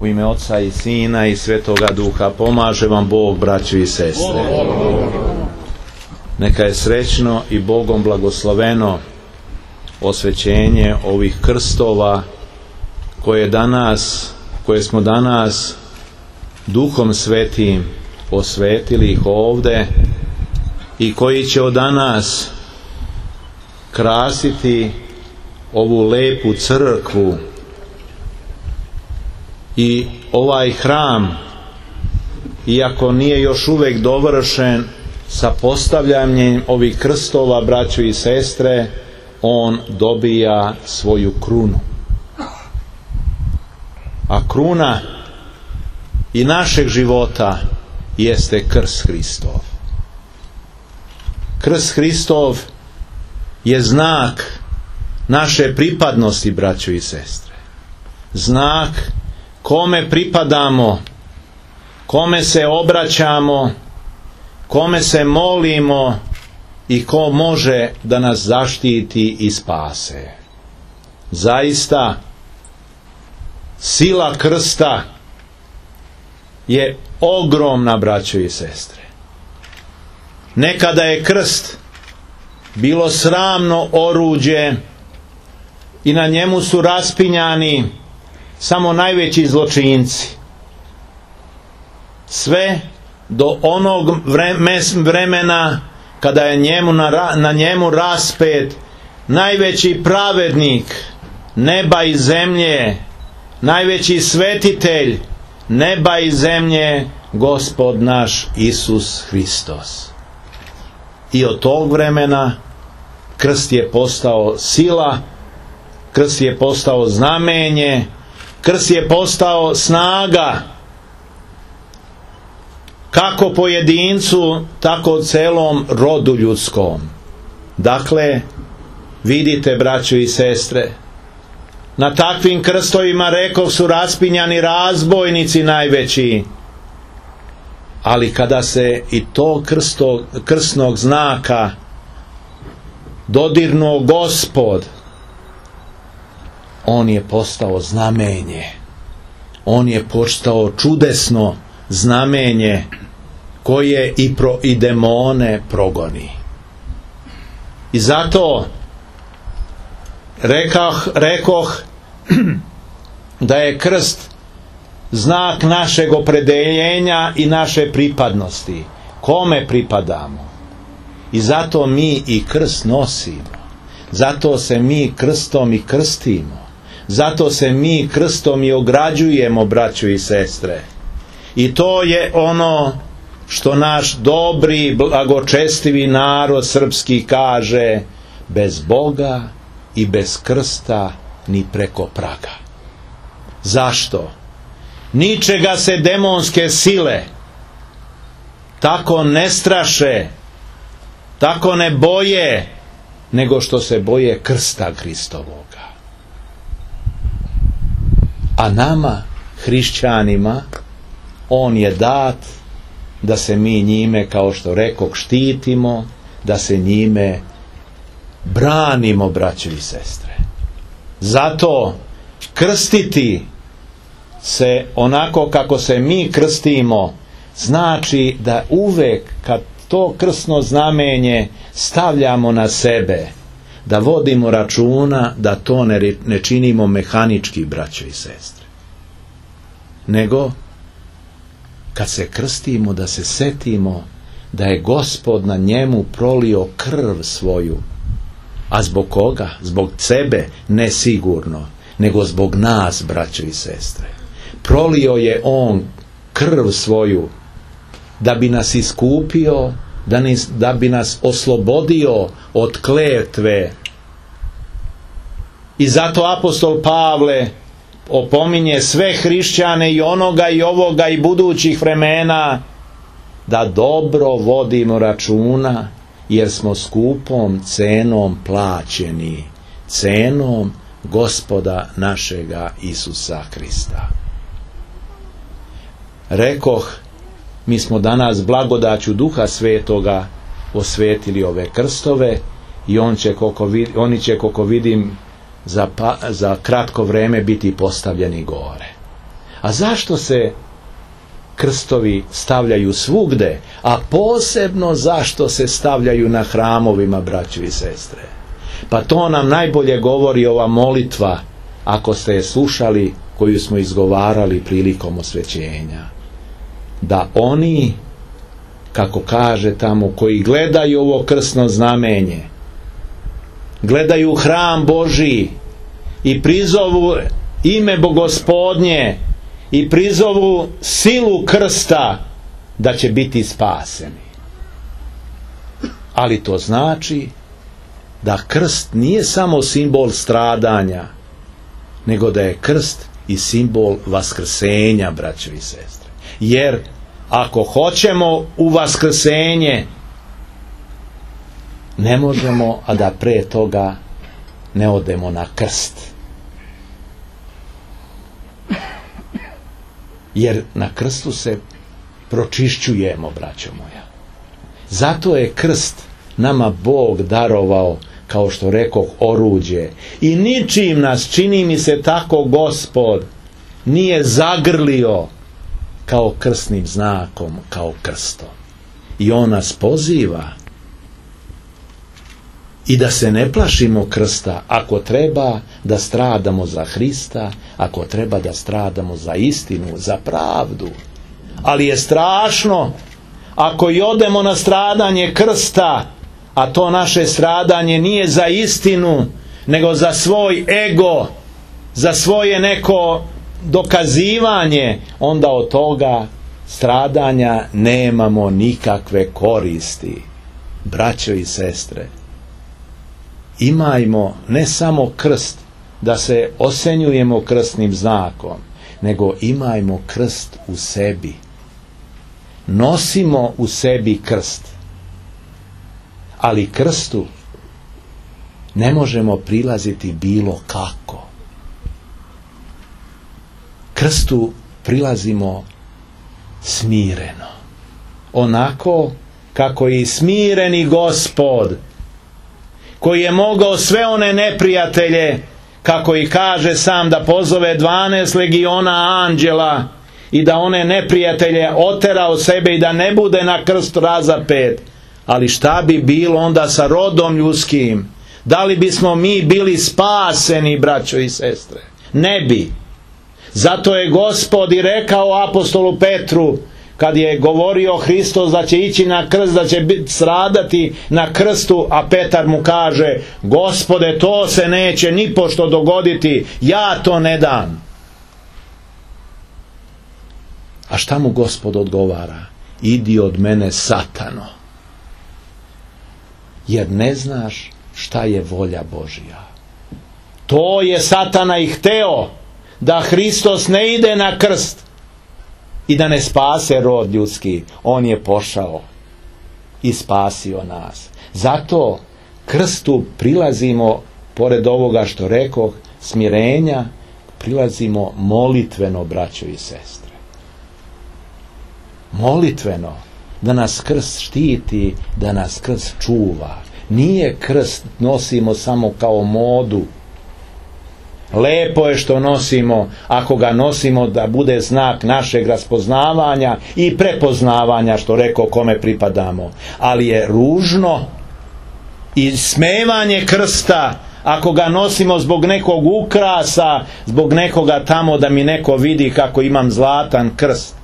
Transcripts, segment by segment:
U ime Oca i Sina i Svetoga Duha pomaže vam Bog, braćo i sestre. Neka je srećno i Bogom blagosloveno osvećenje ovih krstova koje smo danas Duhom Svetim osvetili ih ovde i koji će od danas krasiti ovu lepu crkvu i ovaj hram, iako nije još uvijek dovršen, sa postavljanjem ovih krstova, braćo i sestre, on dobija svoju krunu. A kruna i našeg života jeste krst Hristov. Krst Hristov je znak naše pripadnosti, braćo i sestre. Znak kome pripadamo, kome se obraćamo, kome se molimo i ko može da nas zaštiti i spase. Zaista, sila krsta je ogromna, braćo i sestre. Nekada je krst bilo sramno oruđe i na njemu su raspinjani samo najveći zločinci. Sve do onog vremena kada je na njemu raspet najveći pravednik neba i zemlje, najveći svetitelj neba i zemlje, Gospod naš Isus Hristos. I od tog vremena krst je postao sila, krst je postao znamenje, krst je postao snaga, kako pojedincu, tako celom rodu ljudskom. Dakle, vidite, braćo i sestre, na takvim krstovima, rekoh, su raspinjani razbojnici najveći, ali kada se i to krstnog znaka dodirnuo Gospod, on je postao znamenje, on je postao čudesno znamenje koje i demone progoni. I zato rekoh da je krst znak našeg opredeljenja i naše pripadnosti. Kome pripadamo? I zato mi i krst nosimo. Zato se mi krstom i krstimo. Zato se mi krstom i ograđujemo, braćo i sestre. I to je ono što naš dobri, blagočestivi narod srpski kaže: bez Boga i bez krsta ni preko praga. Zašto? Ničega se demonske sile tako ne straše, tako ne boje, nego što se boje krsta Hristovoga. A nama, hrišćanima, on je dat da se mi njime, kao što rekoh, štitimo, da se njime branimo, braćo i sestre. Zato krstiti se onako kako se mi krstimo znači da uvek kad to krstno znamenje stavljamo na sebe, da vodimo računa da to ne činimo mehanički, braćo i sestre, nego kad se krstimo da se setimo da je Gospod na njemu prolio krv svoju. A zbog koga? Zbog sebe? Ne sigurno, nego zbog nas, braćo i sestre. Prolio je on krv svoju da bi nas iskupio, da bi nas oslobodio od kletve. I zato apostol Pavle opominje sve hrišćane i onoga i ovoga i budućih vremena da dobro vodimo računa, jer smo skupom cenom plaćeni, cenom Gospoda našega Isusa Hrista. Rekoh, mi smo danas blagodaću Duha Svetoga osvetili ove krstove i oni će, koliko vidim, za kratko vreme biti postavljeni gore. A zašto se krstovi stavljaju svugde, a posebno zašto se stavljaju na hramovima, braćo i sestre? Pa to nam najbolje govori ova molitva, ako ste je slušali, koju smo izgovarali prilikom osvećenja. Da oni, kako kaže tamo, koji gledaju ovo krstno znamenje, gledaju hram Božji i prizovu ime Bogospodnje i prizovu silu krsta, da će biti spaseni. Ali to znači da krst nije samo simbol stradanja, nego da je krst i simbol vaskrsenja, braćo i sestre. Jer ako hoćemo u vaskrsenje, ne možemo, a da pre toga ne odemo na krst. Jer na krstu se pročišćujemo, braćo moja. Zato je krst nama Bog darovao, kao što rekoh, oruđe. I ničim nas, čini mi se tako, Gospod nije zagrlio kao krstnim znakom, kao krstom. I on nas poziva i da se ne plašimo krsta, ako treba da stradamo za Hrista, ako treba da stradamo za istinu, za pravdu. Ali je strašno ako i odemo na stradanje krsta, a to naše stradanje nije za istinu, nego za svoj ego, za svoje neko dokazivanje, onda od toga stradanja nemamo nikakve koristi. Braćo i sestre, imajmo ne samo krst da se osenjujemo krstnim znakom, nego imajmo krst u sebi. Nosimo u sebi krst. Ali krstu ne možemo prilaziti bilo kako. Krstu prilazimo smireno. Onako kako je i smireni Gospod, koji je mogao sve one neprijatelje, kako i kaže sam, da pozove 12 legiona anđela i da one neprijatelje otera od sebe i da ne bude na krstu razapet. Ali šta bi bilo onda sa rodom ljudskim? Da li bismo mi bili spaseni, braćo i sestre? Ne bi. Zato je Gospod i rekao apostolu Petru, kad je govorio Hristos da će ići na krst, da će stradati na krstu, a Petar mu kaže: Gospode, to se neće nipošto dogoditi, ja to ne dam. A šta mu Gospod odgovara? Idi od mene, Satano, jer ne znaš šta je volja Božja. To je Satana i hteo, da Hristos ne ide na krst i da ne spase rod ljudski. On je pošao i spasio nas. Zato krstu prilazimo, pored ovoga što rekoh, smirenja, prilazimo molitveno, braćo i sestre. Molitveno, da nas krst štiti, da nas krst čuva. Nije krst nosimo samo kao modu. Lepo je što nosimo, ako ga nosimo da bude znak našeg raspoznavanja i prepoznavanja, što rekao, kome pripadamo. Ali je ružno i smevanje krsta ako ga nosimo zbog nekog ukrasa, zbog nekoga tamo da mi neko vidi kako imam zlatan krst.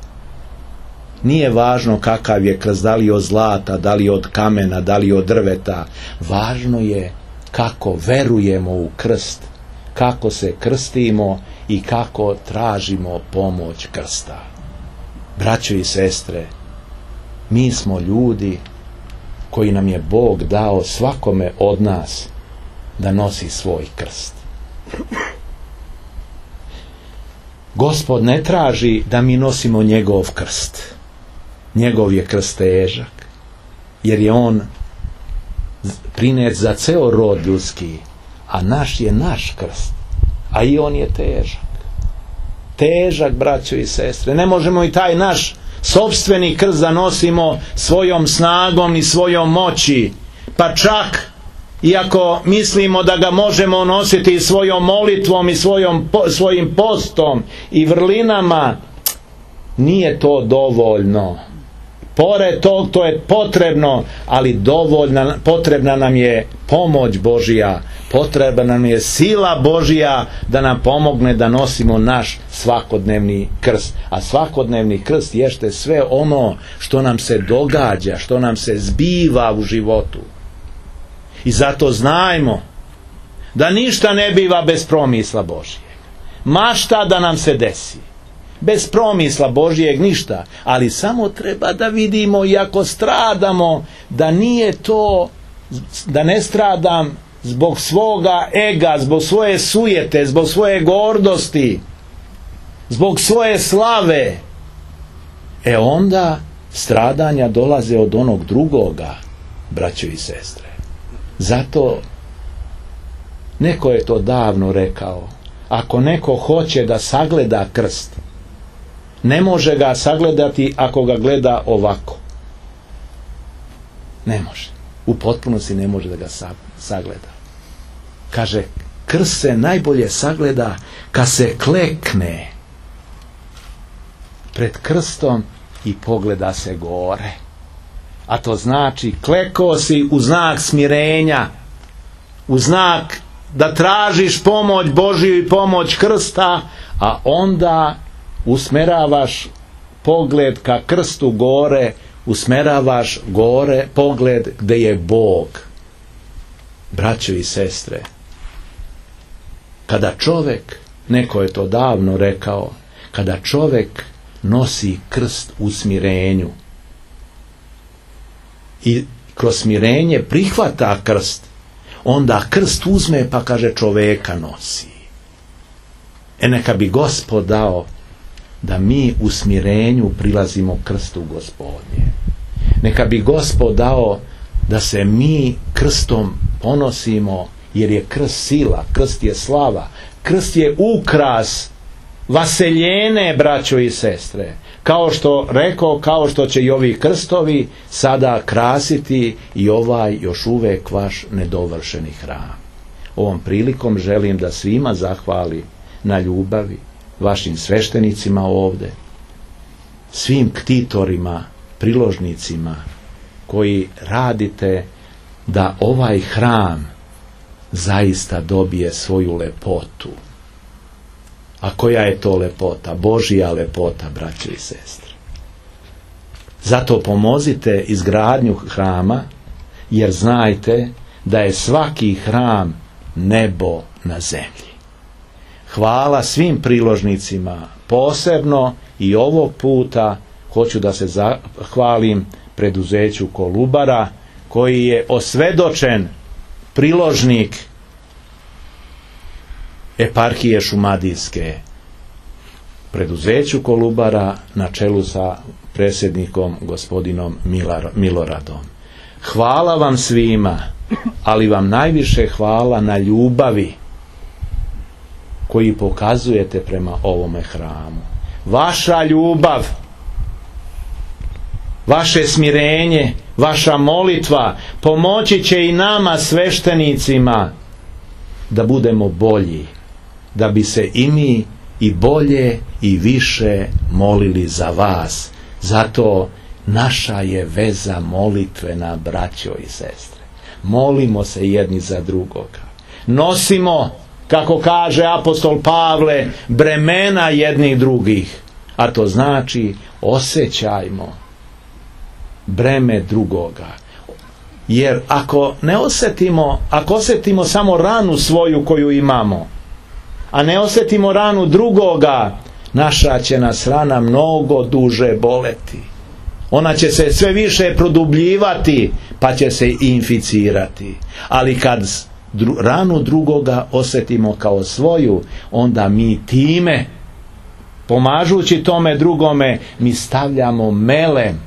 Nije važno kakav je krst, da li od zlata, da li od kamena, da li od drveta. Važno je kako verujemo u krst, kako se krstimo i kako tražimo pomoć krsta. Braćo i sestre, mi smo ljudi koji nam je Bog dao svakome od nas da nosi svoj krst. Gospod ne traži da mi nosimo njegov krst. Njegov je krst težak, jer je on prinet za ceo rod ljudski, a naš je naš krst, a i on je težak. Težak, braćo i sestre. Ne možemo i taj naš sopstveni krst da nosimo svojom snagom i svojom moći, pa čak iako mislimo da ga možemo nositi svojom molitvom i svojim postom i vrlinama, nije to dovoljno. Pored tog, to je potrebno, ali potrebna nam je pomoć Božija, potrebna nam je sila Božija da nam pomogne da nosimo naš svakodnevni krst. A svakodnevni krst jeste sve ono što nam se događa, što nam se zbiva u životu. I zato znajmo da ništa ne biva bez promisla Božijeg. Ma šta da nam se desi, bez promisla Božijeg ništa, ali samo treba da vidimo, i ako stradamo, da nije to, da ne stradam zbog svoga ega, zbog svoje sujete, zbog svoje gordosti, zbog svoje slave. Onda stradanja dolaze od onog drugoga, braćo i sestre. Zato neko je to davno rekao, ako neko hoće da sagleda krst, ne može ga sagledati ako ga gleda ovako. Ne može. U potpunosti ne može da ga sagleda. Kaže, krst se najbolje sagleda kad se klekne pred krstom i pogleda se gore. A to znači, klekao si u znak smirenja, u znak da tražiš pomoć Božiju i pomoć krsta, a onda usmeravaš pogled ka krstu gore, usmeravaš gore pogled gde je Bog. Braćo i sestre, kada čovjek, neko je to davno rekao, kada čovjek nosi krst u smirenju i kroz smirenje prihvata krst, onda krst uzme pa kaže čovjeka nosi. Neka bi Gospod dao da mi u smirenju prilazimo krstu Gospodnje. Neka bi Gospod dao da se mi krstom ponosimo, jer je krst sila, krst je slava, krst je ukras vaseljene, braćo i sestre. Kao što rekao, kao što će i ovi krstovi sada krasiti i ovaj još uvek vaš nedovršeni hram. Ovom prilikom želim da svima zahvali na ljubavi, vašim sveštenicima ovde, svim ktitorima, priložnicima koji radite da ovaj hram zaista dobije svoju lepotu. A koja je to lepota? Božja lepota, braće i sestre. Zato pomozite izgradnju hrama, jer znajte da je svaki hram nebo na zemlji. Hvala svim priložnicima, posebno i ovog puta hoću da se zahvalim preduzeću Kolubara, koji je osvedočen priložnik eparhije Šumadijske. Preduzeću Kolubara na čelu sa predsjednikom gospodinom Miloradom. Hvala vam svima, ali vam najviše hvala na ljubavi koji pokazujete prema ovome hramu. Vaša ljubav, vaše smirenje, vaša molitva pomoći će i nama sveštenicima da budemo bolji, da bi se i mi i bolje i više molili za vas. Zato naša je veza molitvena, braćo i sestre. Molimo se jedni za drugoga. Nosimo, kako kaže apostol Pavle, bremena jednih drugih. A to znači osjećajmo breme drugoga. Jer ako ne osjetimo, ako osjetimo samo ranu svoju koju imamo, a ne osjetimo ranu drugoga, naša će nas rana mnogo duže boleti. Ona će se sve više produbljivati, pa će se inficirati. Ali kad ranu drugoga osjetimo kao svoju, onda mi time, pomažući tome drugome, mi stavljamo melem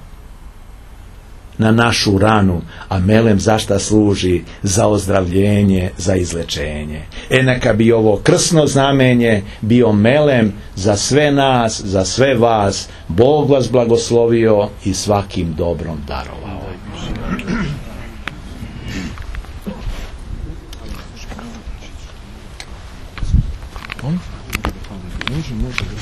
na našu ranu, a melem za šta služi? Za ozdravljenje, za izlečenje. Neka bi ovo krsno znamenje bio melem za sve nas, za sve vas. Bog vas blagoslovio i svakim dobrom darovao. Može.